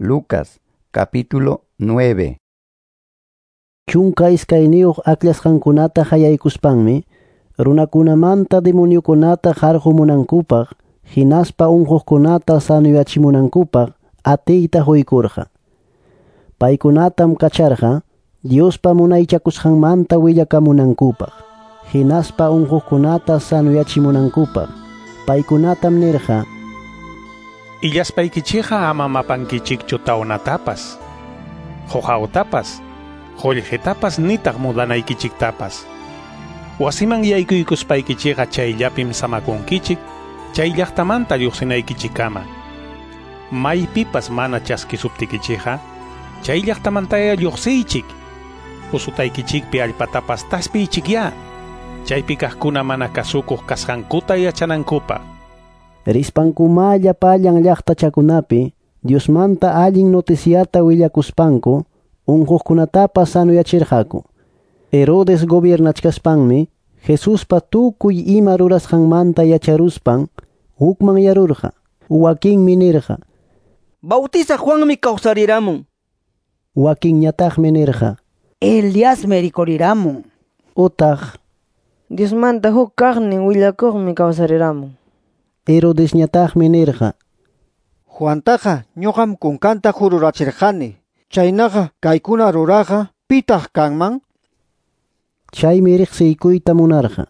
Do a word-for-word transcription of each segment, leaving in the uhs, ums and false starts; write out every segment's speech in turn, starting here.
Lucas capítulo nueve. Chunka iskayniyuq aklasqankunata hayaykuspanmi, runakunamanta demoniokunata qarqumunankupaq, hinaspa unquqkunata sanoyachimunankupaq atiyta quykurqa. Paykunatam kacharqa Diospa munaychakusqanmanta willakamunankupaq, hinaspa unquqkunata sanoyachimunankupaq. Paykunatam nirqa: Illaspaykichikqa ama mapankichikchu tawnatapas, quqawtapas, qullqitapas nitaq mudanaykichiktapas. Wasiman yaykuykuspaykichikqa chayllapim samakunkichik, chay llaqtamanta lluqsinaykichikkama. Maypipas mana chaskisuptikichikqa, chay llaqtamantaya lluqsiychik. Usutaykichikpi allpatapas taspiychikyá, chaypi kaqkuna mana kasukuq kasqankuta yachanankupaq. Rispankuma llapallan llaqtachakunapi Diosmanta allin noticiata willakuspanku unquqkunatapas sanoyachirqaku. Herodes gobiernachkaspanmi Jesuspa tukuy ima rurasqanmanta yacharuspan hukmanyarurqa. Wakinmi nirqa: Bautizaq Juanmi kawsariramun. Wakinñataqmi nirqa: Eliasmi rikuriramun. Utaq: Diosmanta huk kaqnin willakuqmi kawsariramun. Herodesñataqmi nirqa: Juantaqa ñuqam kunkanta jururachirqani. Chaynaqa kaykuna ruraqa pitaq kanman? Chaymi riqsiykuyta munarqa.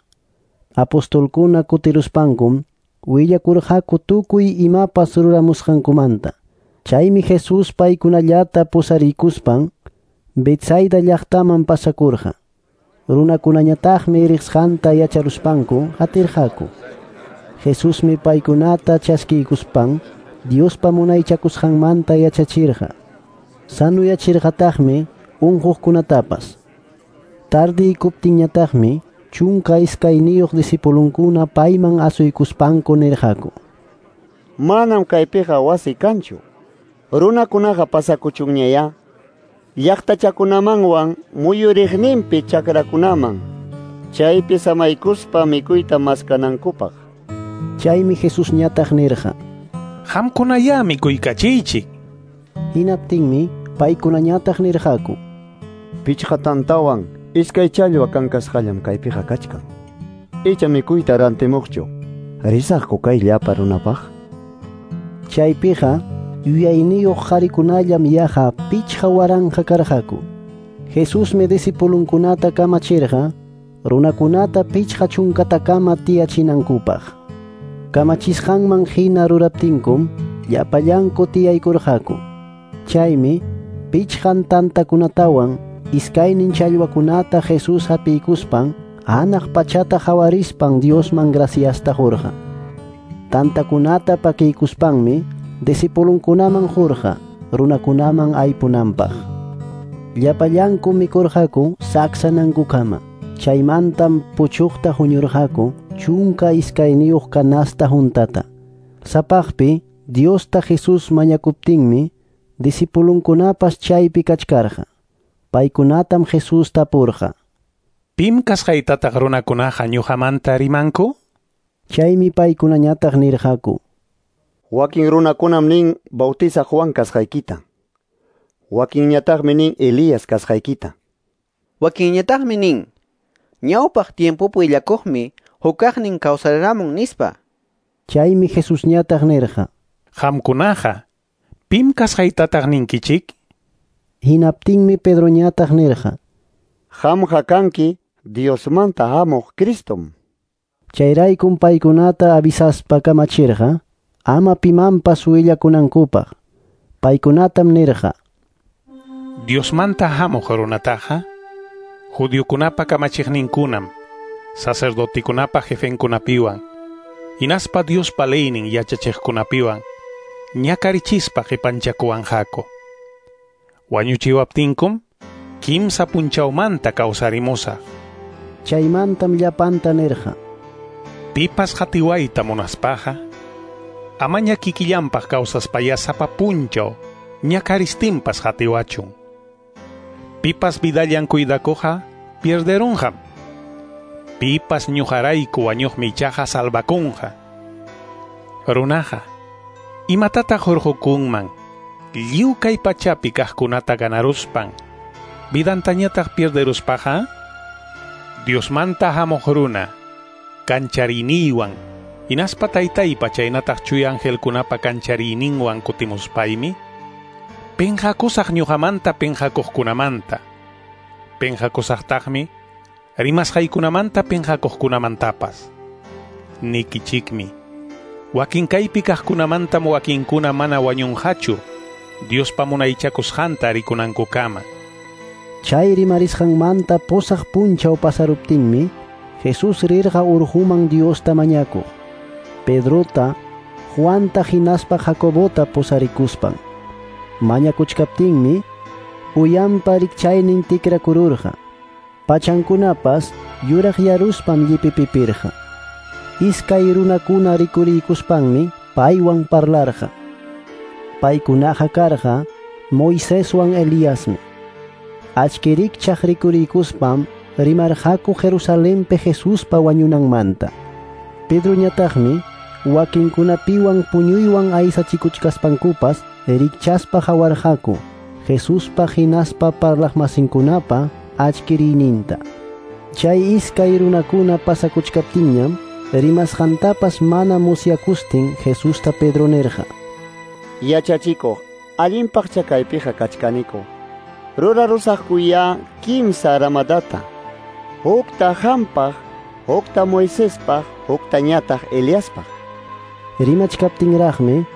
Apostolkuna kutiruspankum willakurqaku tukuy imapas ruramusqankumanta. Chaymi Jesús paykunallata pusariykuspan Betsaida llaqtaman pasakurqa. Runakunañataqmi riqsqanta yacharuspanku qatirqaku. Jesusmi paykunata chaskiykuspan Diospa munaychakusqanmanta yachachirqa. Sanuyachirqataqmi unquqkunatapas. Tardiykuptinñataqmi chunka iskayniyuq discipulunkuna payman asuykuspanku nirqaku: Manam kaypiqa wasi kanchu. Runakunaqa pasakuchunñayá llaqtachakunamanwan muyuriqninpi chakrakunaman, chaypi samaykuspa mikuyta maskanankupaq. Chaymi Jesusñataq nirqa: Qamkunayá mikuykachiychik. Hinaptinmi paykunañataq nirqaku: Pichqa tantawan iskay challwa kankasqallam kaypiqa kachkan. Icha mikuyta rantimuqchu, risaqku kay llapa runapaq. Chaypiqa yuyayniyuq qharikunallam yaqa pichqa waranqa karqaku. Jesusmi discipulunkunata kamachirqa runakunata pichqa chunkatakama tiyachinankupaq. Kamachisqanman hina ruraptinkum llapallanku tiyaykurqaku. Chaymi pichqan tantakunatawan iskaynin challwakunata Jesús hapiykuspan hanaq pachata hawarispan Diosman graciasta qurqa. Tantakunata pakiykuspanmi discipulunkunaman qurqa runakunaman aypunanpaq. Llapallanku mikurqaku saksanankukama. Chaymantam puchuqta huñurqaku chunka iskayniyuq canasta juntata. Sapaqpi Diosta Jesús mañakuptinmi discipulunkunapas chaypi kachkarqa. Paykunatam Jesús tapurqa: Pim kasqaytataq runakunaqa ñuqamanta rimanku? Chaymi paykunañataq nirqaku: Wakin runakunam nin Bautizaq Juan kasqaykita. Wakinñataqmi nin Elías kasqaykita. Wakinñataqmi nin ñawpaq tiempopi willakuqmi hukaqnin kawsariramun nispa. Chaymi Jesusñataq nirqa: Qamkunaqa pim kasqaytataq ninkichik? Hinaptinmi Pedroñataq nirqa: Qamqa kanki Diosmanta hamuq Cristom. Chayraykum paykunata avisaspa kamachirqa ama pimanpas willakunankupaq. Paykunatam nirqa: Diosmanta hamuq runataqa judiokunapa kamachiqninkunam, sacerdotekunapa jefenkunapiwan, hinaspa Diospa leynin yachachiqkunapiwan ñakarichispa qipanchakuwanqaku. Wañuchiwaptinkum kimsa punchawmanta kawsarimusaq. Chaymantam llapanta nirqa: Pipas qatiwayta munaspaqa amaña kikillanpaq kawsaspaya sapa punchaw ñakaristinpas qatiwachun. Pipas vidallan cuidakuqa pierderunqam. Pipas ñuqarayku wañuqmi ichaqa salvakunqa. Runaqa imatataq hurqukunman Lliw kay pachapi kaqkunata ganaruspan, vidantañataq pierderuspaqa? Diosmanta hamuq runa, kanchariyninwan, hinaspa taytaypa chaynataq chuya angelkunapa kanchariyninwan kutimuspaymi, penqakusaq ñuqamanta penqakuqkunamanta, penqakusaqtaqmi rimasqaykunamanta penqakuqkunamantapas. Nikichikmi, wakin kaypi kaqkunamantam wakinkuna mana wañunqachu, Diospa munaychakusqanta rikunankukama. Chay rimarisqanmanta pusaq punchaw pasaruptinmi, Jesús rirqa urquman Diosta mañakuq. Pedrota, Juanta hinaspa Jacobota pusarikuspan. Mañakuchkaptinmi, uyanpa rikchaynin tikrakururqa. Pachankunapas yuraqyaruspam llipipipirqa. Iskay runakuna rikuriykuspanmi paywan parlarqa. Paykunaqa karqa Moiseswan Eliasmi. Achkirikchaq rikuriykuspam rimarqaku Jerusalenpi Jesuspa wañunanmanta. Pedroñataqmi wakinkunapiwan puñuywan aysachikuchkaspankupas rikchaspa hawarqaku Jesuspa hinaspa parlaqmasinkunapa achkiriyninta. Chay iskay runakuna pasakuchkaptinñam rimasqantapas mana musyakustin Jesusta Pedro nirqa: Yachachikuq, allinpaqcha kaypiqa kachkaniku. Rurarusaqkuya kimsa ramadata. Hukta hampaq, hukta Moisespaq, huktañataq Eliaspaq. Rimachkaptinraqmi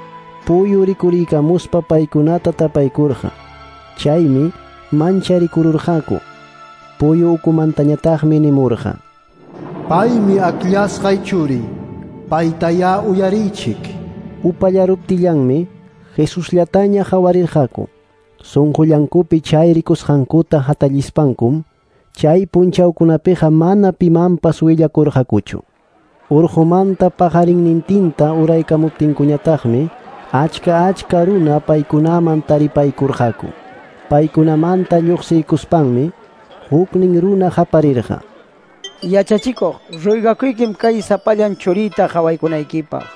puyu rikuriykamuspa paykunata tapaykurqa. Chaymi mancharikururqaku. Puyu ukumantañataqmi nimurqa: Paymi akllasqay churi, paytayá uyariychik. Upallaruptillanmi Jesusllataña hawarirqaku. Sunqullankupi chay rikusqankuta hatallispankum, chay punchawkunapiqa mana pimanpas willakurqakuchu. Urqumanta paqarinnintinta uraykamuptinkuñataqmi achka achka runa paykunaman taripaykurqaku. Paykunamanta lluqsiykuspanmi huknin runa qaparirqa: Yachachikuq, ruygakuykim kay sapallan churiyta qhawaykunaykipaq.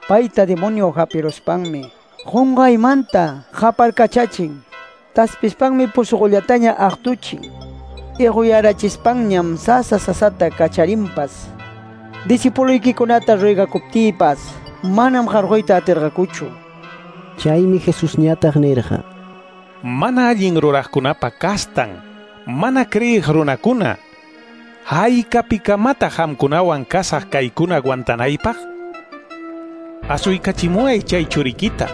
Payta demonio hapiruspanmi qunqaymanta qaparkachachin, taspispanmi pusuqullataña aqtuchin, iquyarachispanñam sasa sasata kacharinpas. Discipuluykikunata ruygakuptiypas manam qarquyta atirqakuchu. Chaymi Jesusñataq nirqa: Mana allin ruraqkunapa kastan, mana creeq runakuna, haykapikamataq qamkunawan kasaq kaykuna aguantanaypaq? Asuykachimuway chay churikita.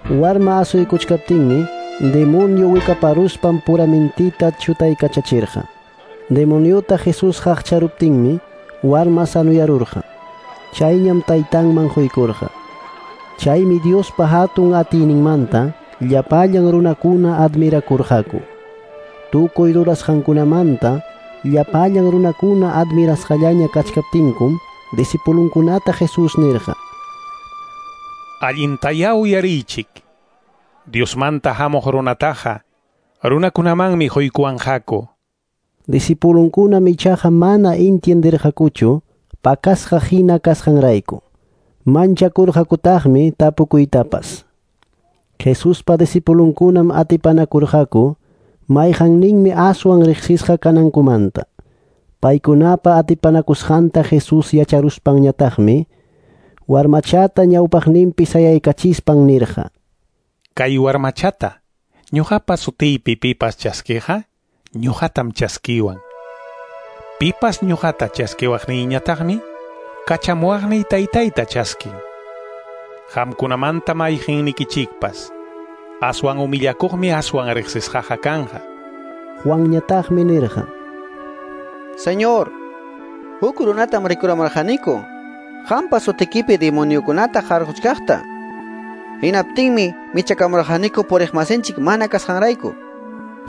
Warma asuykuchkaptinmi demonio wikaparuspan puramintita chutaykachachirqa. Demoniota Jesús qaqcharuptinmi warma sanuyarurqa. Chayñam taytanman quykurqa. Chaymi Diospa hatun atiyninmanta llapallan runakuna admirakurqaku. Tukuy rurasqankunamanta llapallan runakuna admirasqallaña kachkaptinkum discipulunkunata Jesús nirqa: Allintayá uyariychik. Diosmanta hamuq runataqa runakunamanmi quykuwanqaku. Discipulunkunam ichaqa mana entienderqakuchu pakasqa hina kasqanrayku. Manchakurqakutaqmi tapukuytapas. Jesuspa discipulunkunam atipanakurqaku mayqanninmi aswan riqsisqa kanankumanta. Paykunapa atipanakusqanta Jesús yacharuspanñataqmi warmachata ñawpaqninpi sayaykachispan nirqa: Kay warmachata ñuqapa sutiypi pipas chaskiqa, ñuqatam chaskiwan. Pipas ñuqata chaskiwaqniyñataqmi kachamuwaqniy taytayta chaskin. Qamkunamanta mayqinnikichikpas aswan humillakuqmi aswan riqsisqaqa kanqa. Juanñataqmi nirqa: Señor, huk runatam rikuramarqaniku, qampa sutikipi demoniokunata qarquchkaqta. Hinaptinmi michakamurqaniku puriqmasinchik mana kasqanrayku.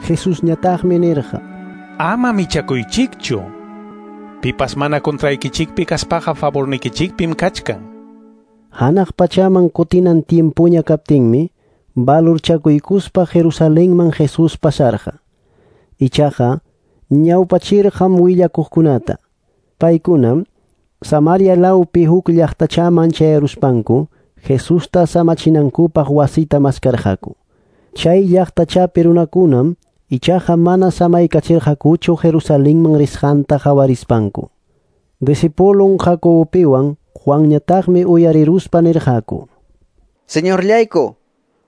Jesusñataqmi nirqa: Ama michakuychikchu. Pipas mana contraykichikpi kaspaqa favornikichikpim kachkan. Hanaq pachaman kutinan tiempuña kaptinmi valorchakuykuspa Jerusalenman Jesús pasarqa. Ichaqa ñawpachirqam willakuqkunata. Paykunam Samaria lawpi huk llaqtachaman chayaruspanku Jesusta samachinankupaq wasita maskarqaku. Chay llaqtachapi runakunam ichaqa mana samaykachirqakuchu Jerusalenman risqanta qawarispanku. Discipulon Jacobopiwan Juanñataqmi uyariruspa nirqaku: Señorllayku,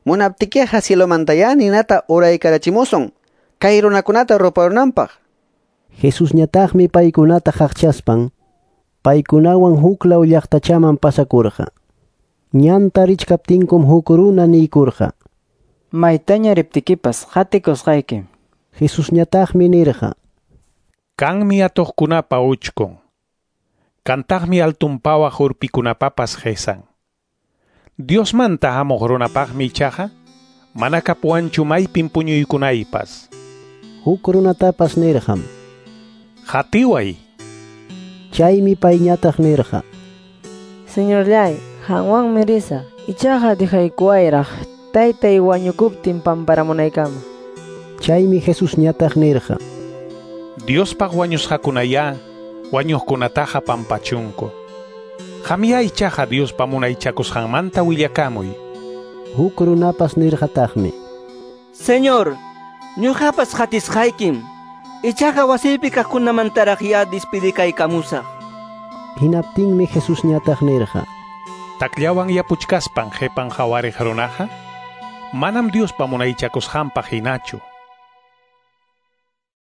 munaptikiqa cielomantayá ninata uraykarachimusun kay runakunata ruparunanpaq. Jesusñataqmi paykunata qaqchaspan paykunawan huklaw llaqtachaman pasakurqa. Ñanta richkaptinkum huk runa niykurqa: Maytaña riptikipas qatikusqaykim. Jesusñataqmi nirqa: Kanmi atuqkunapa uchkun, kantaqmi altunpawaq urpikunapapas qesan. Diosmanta hamuq runapaqmi ichaqa mana kapuwanchu maypin puñuykunaypas. Huk runatapas nirqam: Qatiway. Chaymi payñataq nirqa: Señorllay, qanwanmi risaq. Ichaqa dejaykuwayraq taytay wañukuptin pamparamunaykama. Chaymi Jesusñataq nirqa: Diospaq wañusqakunayá wañuqkunataqa pampachunku. Qamyá ichaqa Diospa munaychakusqanmanta willakamuy. Huk runapas nirqataqmi: Señor, ñuqapas qatisqaykim. Ichaqa wasiypi kaqkunamantaraqyá despidikaykamusaq. Hinaptinmi Jesusñataq nirqa: Takllawan yapuchkaspan qhipan qhawariq runaqa manam Diospa munaychakusqanpaq hinachu.